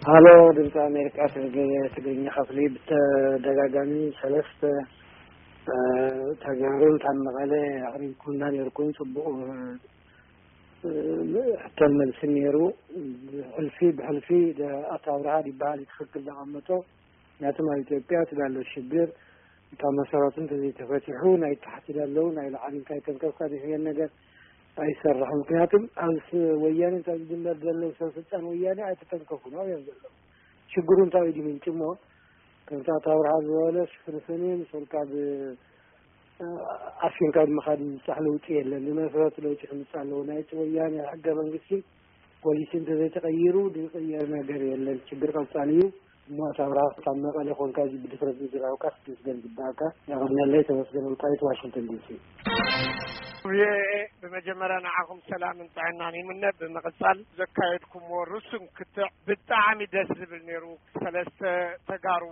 ሃሎ፣ ድምፂ ኣሜሪካ ትግርኛ ክፍሊ፣ ብተደጋጋሚ ሰለስተ ተጋሩን ካብ መቐለ ኣቕሪብኩምና ነርኩም። ፅቡቕ ሕቶን መልስን ነይሩ። ብሕልፊ ብሕልፊ ኣቶ ኣብርሃ ይበሃል፣ ትኽክል ዘቐመጦ። ምክንያቱም ኣብ ኢትዮጵያ እቲ ዳሎ ሽግር ካብ መሰረቱ እንተዘይተፈቲሑ፣ ናይ ታሕቲ ዳለው ናይ ላዕሊ እንታይ ተንከፍካ ዝሕየን ነገር ኣይሰርሕን። ምክንያቱም ኣብ ወያኔ እንታይ ዝጅመር ዘለው ሰብ ስልጣን ወያኔ ኣይተተንከፉን እዮም ዘለው። ሽግሩ እንታይ ድዩ ምንጭሞ? ከምቲ ኣቶ ኣብርሃ ዝበሎ ሽፍንፍን እዩ። ምስ ወልቃ ብ-፣ ኣፊንካ ብምኻድ ዝምጻእ ለውጢ የለን። ብመሰረቱ ለውጢ ክምጻእ ኣለዎ። ናይቲ ወያኔ ሕገ መንግስቲ ፖሊሲ እንተዘይተቐይሩ ዝቕየር ነገር የለን። ሽግር ቀጻሊ እዩ። እሞ ኣቶ ኣብርሃ ካብ መቐለ ኮንካ እዚ ብድፍረት ምዝራብካ ክትመስገን ዝግባእካ። የቐንየለይ። ተመስገን ወልቃይት፣ ዋሽንግተን ዲሲ። ቪኦኤ፣ ብመጀመርያ ንዓኹም ሰላምን ጥዕናን ይምነ። ብምቕጻል ዘካየድኩምዎ ርሱን ክትዕ ብጣዕሚ ደስ ዝብል ነይሩ። ሰለስተ ተጋሩ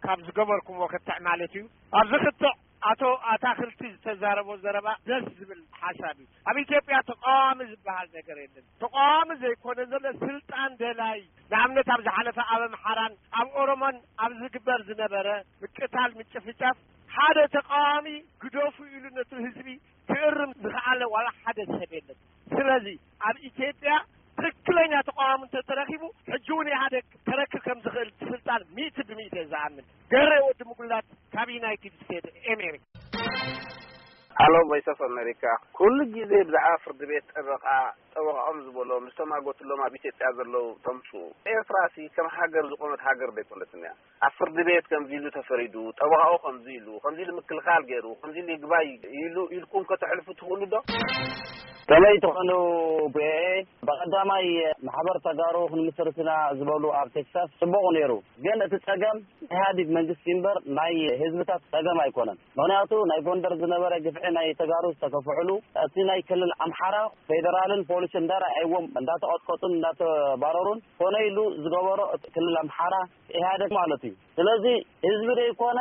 ካብ ዝገበርኩምዎ ክትዕ ማለት እዩ። ኣብዚ ክትዕ ኣቶ ኣታኽልቲ ዝተዛረቦ ዘረባ ደስ ዝብል ሓሳብ እዩ። ኣብ ኢትዮጵያ ተቃዋሚ ዝበሃል ነገር የለን። ተቃዋሚ ዘይኮነ ዘሎ ስልጣን ደላይ፣ ንኣብነት ኣብ ዝሓለፈ ኣብ ኣምሓራን ኣብ ኦሮሞን ኣብ ዝግበር ዝነበረ ምቅታል፣ ምጭፍጫፍ ሓደ ተቃዋሚ ግደፉ ኢሉ ነቲ ህዝቢ ክእርም ዝኸኣለ ዋላ ሓደ ሰብ የለን። ስለዚ ኣብ ኢትዮጵያ ትክክለኛ ተቃዋሚ እንተተረኪቡ፣ ሕጂ እውን ኢህኣዴግ ከረክብ ከም ዝኽእል ስልጣን ሚእቲ ብሚእቲ እየ ዝኣምን። ገሬ ወዲ ምጉላት ካብ ዩናይትድ ስቴትስ ኤሜሪ። ሃሎ፣ ቮይስ ኦፍ ኣሜሪካ። ኩሉ ግዜ ብዛዕባ ፍርዲ ቤት ጠበቃ፣ ጠበቃኦም ዝበሎ ምስቶም ኣጎትሎም ኣብ ኢትዮጵያ ዘለዉ ተምሱ፣ ኤርትራ ሲ ከም ሃገር ዝቆመት ሃገር ዘይኮነትን እያ። ኣብ ፍርዲ ቤት ከምዚ ኢሉ ተፈሪዱ፣ ጠበቃኡ ከምዚ ኢሉ፣ ከምዚ ኢሉ ምክልኻል ገይሩ፣ ከምዚ ኢሉ ይግባይ ኢሉ ኢልኩም ከተሕልፉ ትኽእሉ ዶ? ከመይ ትኾኑ? ብኤ ብቐዳማይ ማሕበር ተጋሩ ክንምስርትና ዝበሉ ኣብ ቴክሳስ ጽቡቕ ነይሩ። ግን እቲ ጸገም ኢህኣዲግ መንግስቲ እምበር ናይ ህዝብታት ጸገም ኣይኮነን። ምኽንያቱ ናይ ጎንደር ዝነበረ ግፍዒ ናይ ተጋሩ ዝተከፍዕሉ፣ እቲ ናይ ክልል ኣምሓራ ፌደራልን ፖሊስን እንዳረኣይዎም እንዳተቐጥቀጡን እንዳተባረሩን ኮነ ኢሉ ዝገበሮ እቲ ክልል ኣምሓራ ኢህኣደግ ማለት እዩ። ስለዚ ህዝቢ ዘይኮነ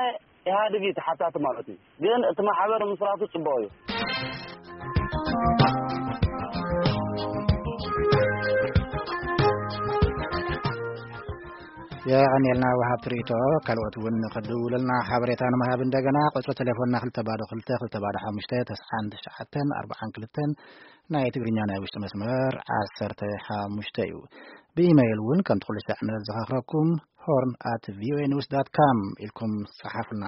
ኢህኣደግ እዩ ተሓታቲ ማለት እዩ። ግን እቲ ማሕበር ምስራቱ ጽቡቕ እዩ። የቐንየልና ወሃብቲ ርእይቶ። ካልኦት እውን ክድውለልና ሓበሬታ ንምሃብ እንደገና ቁፅሪ ቴሌፎንና ክልተ ባዶ ክልተ ክልተ ባዶ ሓሙሽተ ተስዓን ትሽዓተን ኣርባዓን ክልተን፣ ናይ ትግርኛ ናይ ውሽጢ መስመር ዓሰርተ ሓሙሽተ እዩ። ብኢመይል እውን ከምቲ ኩሉ ሳዕ ንዘኻኽረኩም ሆርን ኣት ቪኦኤ ኒውስ ዳት ካም ኢልኩም ጸሓፉልና።